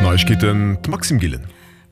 Neiegkeeten, d'Maxime Gillen.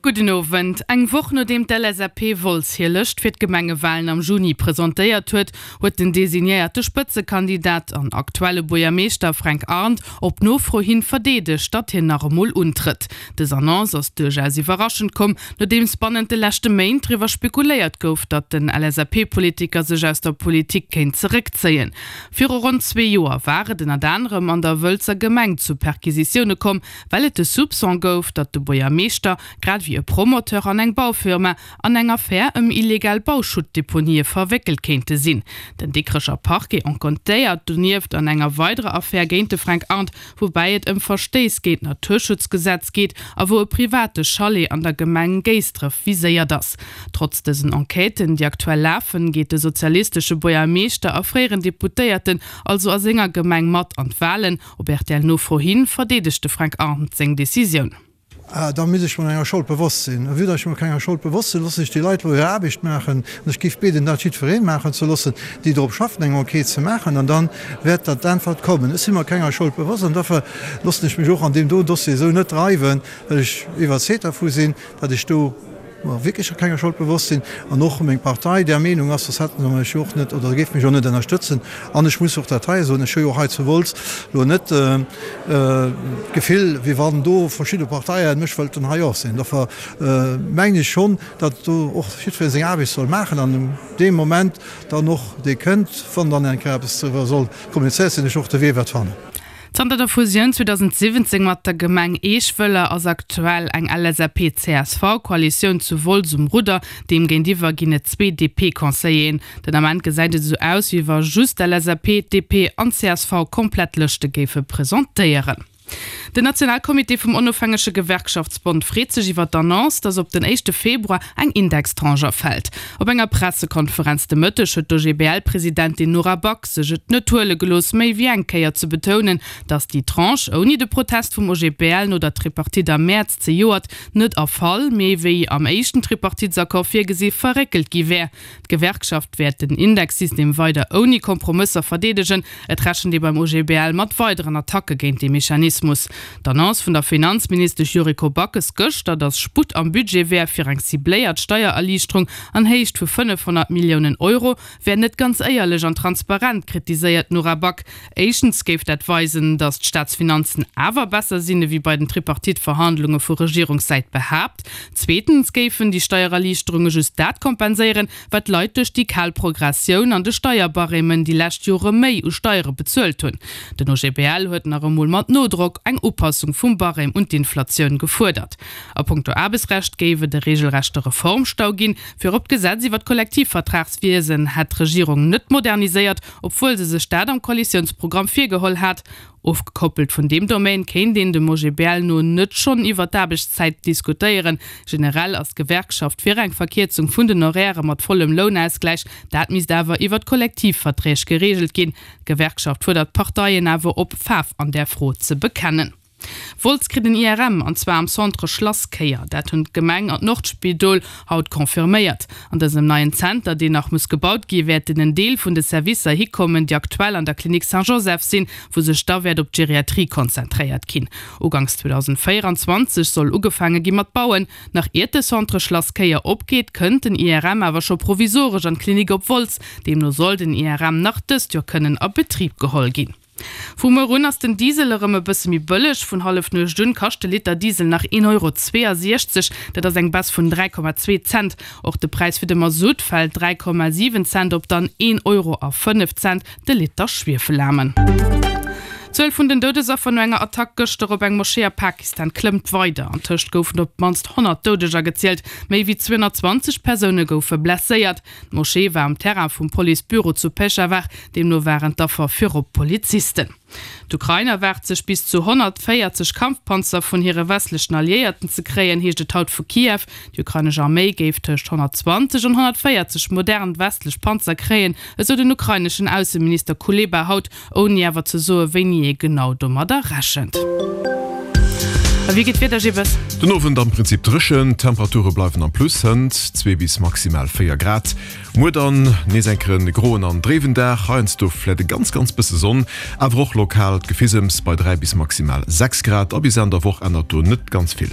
Gudden Owend. Eng Woch nodeem d'LSAP Wolz hir Lëscht fir d'Gemengewalen am Juni presentéiert huet, huet den designéierte Spëtzekandidat an aktuelle Buergermeeschter Fränk Arndt op Nofro hin verdeedegt, datt hien nach emol untrëtt. Dës Annonce ass duerchaus iwwerraschend komm, nodeems bannent de leschte Méint driwwer spekuléiert gouf, datt den LSAP-Politiker sech aus der Politik kéint zeréckzéien. Viru ronn zwee Joer war et ënnert anerem an der Wëlzer Gemeng zu Perquisitioune komm, well et de Soupçon gouf, datt de Buergermeeschter, grad ewéi e Promoteur an eng Baufirma, an eng Affär ëm illegal Bauschuttdeponië verwéckelt kéinte sinn. Den Dikrecher Parquet enquêtéiert donieft an enger weiderer Affär géint de Fränk Arndt, woubäi et ëm Verstéiss géint d'Naturschutzgesetz geet a wou e private Chalet an der Gemeng Géisdref viséiert ass. Trotz dësen Enquêten, déi aktuell lafen, geet de sozialistesche Buergermeeschter a fréieren Deputéierten also a senger Gemeng mat an d'Walen. Op RTL-Nofro hin verdeedegt de Fränk Arndt seng Decisioun. Da misst ech mer enger Schold bewosst sinn. A vue datt ech mer kenger Schold bewosst sinn, loossen ech déi Leit elo hir Aarbecht maachen. An ech géif bieden, dat jiddweree maachen ze loossen, déi drop schaffen, eng Enquête ze maachen. An da wäert dat d'Äntwert kommen. Ech si mer kenger Schold bewosst an dofir loossen ech mech och an deem do Dossier esou net dreiwen, well ech iwwerzeegt dervu sinn, datt ech do mer wierklech kenger Schold bewosst sinn an och meng Partei där Meenung ass, soss hätte se mech jo och net oder géife mech och net ënnerstëtzen. An ech muss och dat hei soen, ech hu jo och hei zu Wolz elo net d'Gefill, wéi wann do verschidde Parteien mech wëllten hei och sinn. Dofir mengen ech schonn, datt do och jiddweree seng Aarbecht soll maachen an dee Moment dann och dee kënnt, wann dann eng Kéier eppes driwwer soll kommunizéiert sinn, ech och de Wee wäert fannen. Zanter der Fusioun 2017 mat der Gemeng Eeschwëller ass aktuell eng LSAP-CSV-Koalitioun zu Wolz um Rudder. Deem géintiwwer ginn et zwee DP-Conseilleren. Den Ament gesäit et esou aus, wéi wa just d'LSAP, d'DP an d'CSV komplett Lëschte géife presentéieren. Den Nationalcomité vum Onofhängege Gewerkschaftsbond freet sech iwwer d'Annonce, datt op den éischte Februar eng Indextranche erfält. Op enger Pressekonferenz de Mëtteg huet d'OGBL-Presidentin Nora Back sech et net huele gelooss, méi wéi eng Kéier ze betounen, datt déi Tranche ouni de Protest vum OGBL no der Tripartite am Mäerz zejoert net erfall, mee wéi am éischten Tripartitesaccord virgesi verréckelt gi wär. D'Gewerkschaft wäert den Indexsystem weider ouni Kompromësser verdeedegen. Et rechent ee beim OGBL mat weideren Attacke géint dee Mechanismus. D'Annonce vun der Finanzministesch Yuriko Backes gëschter, datt Sputt am Budget wär fir eng cibléiert Steiererliichterung an Héicht vu 500 Milliounen Euro, wär net ganz éierlech an transparent, kritiséiert d'Nora Back. Éischtens géif dat weisen, datt d'Staatsfinanzen awer besser sinn, ewéi bei den Tripartite-Verhandlunge vu Regierungssäit behaapt. Zweetens géifen déi Steiererliichterunge just dat kompenséieren, wat d'Leit duerch déi kal Progressioun an de Steierbarêmen déi lescht Jore méi u Steiere bezuelt hunn. Den OGBL huet nach emol mat Nodrock eng Upassung vum Barème un d'Inflatioun gefuerdert. A punkto Aarbechtsrecht géif et e reegelrechte Reformstau ginn. Virop d'Gesetz iwwer d'Kollektivvertragswiesen hätt d'Regierung net moderniséiert, obwuel se sech dat am Koalitiounsprogramm virgeholl hat. Ofgekoppelt vun deem Domaine kéint een dem OGBL no net schonn iwwer d'Aarbechtszäit diskutéieren. Generell ass d'Gewerkschaft fir eng Verkierzung vun den Horairë mat vollem Lounausgläich. Dat misst awer iwwer d'Kollektivverträg gereegelt ginn. D'Gewerkschaft fuerdert d'Parteien awer op, Faarf an där Fro ze bekennen. Wolz kritt en IRM, an zwar am Centre Schlasskéier. Dat hunn d'Gemeng an d'Nordspidol haut confirméiert. An dësem neien Zenter, deen nach muss gebaut gi, wäerten en Deel vun de Servicer hikommen, déi aktuell an der Klinik Saint-Joseph sinn, wou sech da wäert op d'Geriatrie konzentréiert ginn. Uganks 2024 soll ugefaange gi mat bauen. Nach iert de Centre Schlasskéier opgeet, kënnt den IRM awer scho provisoresch an d'Klinik op Wolz. Deemno soll den IRM nach dëst Joer kënnen a Betrib geholl ginn. Vu muer un ass den Diesel erëm e bësse méi bëlleg. Vun Hallefnuecht un kascht de Liter Diesel nach 1,62 Euro, dat ass eng Baisse vun 3,2 Cent. Och de Präis fir de Masutt fält 3,7 Cent op dann 1,05 Euro de Liter Schwiefelaarmen. D'Zuel vun den Doudesaffer no enger Attack gëschter op eng Moschee a Pakistan klëmmt weider. Antëscht goufen op d'mannst 100 Doudeger gezielt, méi wéi 220 Persoune goufe blesséiert. D'Moschee war um Terrain vum Police-Büro zu Peschawar, deemno waren d'Affer virop Polizisten. D'Ukrain erwaart sech bis zu 140 Kampfpanzer vun hire westlechen Alliéierten ze kréien, heescht et haut vu Kiew. Déi ukrainesch Arméi géif tëscht 120 an 140 modern westlech Panzer kréien, esou den ukraineschen Ausseminister Kuleba haut, ouni awer ze soe wéini ee genau domadder rechent. A wéi geet d'Wieder, Gibbes? Den Owend am Prinzip dréchen, d'Temperature bleiwen am Plus, hënt 2 bis maximal 4 Grad. Muer dann nees eng Kéier en groen an dréiwen Dag, heiansdo vläit e ganz ganz bësse Sonn, awer och lokal d'Gefisems bei 3 bis maximal 6 Grad. A bis Enn der Woch ännert do net ganz vill.